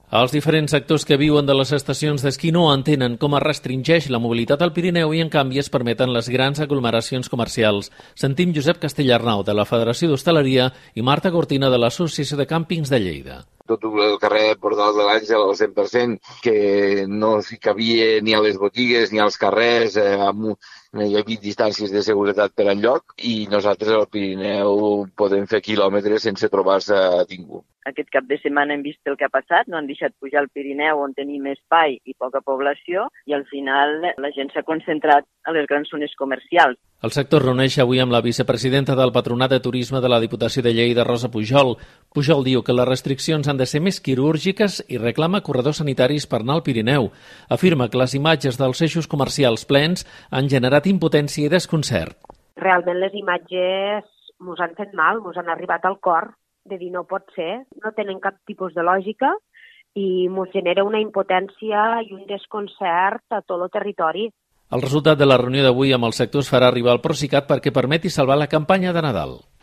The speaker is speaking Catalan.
Els diferents sectors que viuen de les estacions d'esquí no entenen com es restringeix la mobilitat al Pirineu i, en canvi, es permeten les grans aglomeracions comercials. Sentim Josep Castellarnau, de la Federació d'Hostaleria, i Marta Cortina, de l'Associació de Càmpings de Lleida. Tot el carrer Portal de l'Àngel al 100%, que no s'hi cabia ni a les botigues ni als carrers, no hi havia distàncies de seguretat per enlloc, i nosaltres al Pirineu podem fer quilòmetres sense trobar-se ningú. Aquest cap de setmana hem vist el que ha passat, no han deixat pujar al Pirineu on tenim espai i poca població i al final la gent s'ha concentrat a les grans zones comercials. El sector reuneix avui amb la vicepresidenta del Patronat de Turisme de la Diputació de Lleida, Rosa Pujol. Pujol diu que les restriccions han de ser més quirúrgiques i reclama corredors sanitaris per anar al Pirineu. Afirma que les imatges dels eixos comercials plens han generat impotència i desconcert. Realment les imatges ens han fet mal, ens han arribat al cor, de dir no pot ser, no tenen cap tipus de lògica i ens genera una impotència i un desconcert a tot el territori. El resultat de la reunió d'avui amb el sector es farà arribar al Procicat perquè permeti salvar la campanya de Nadal.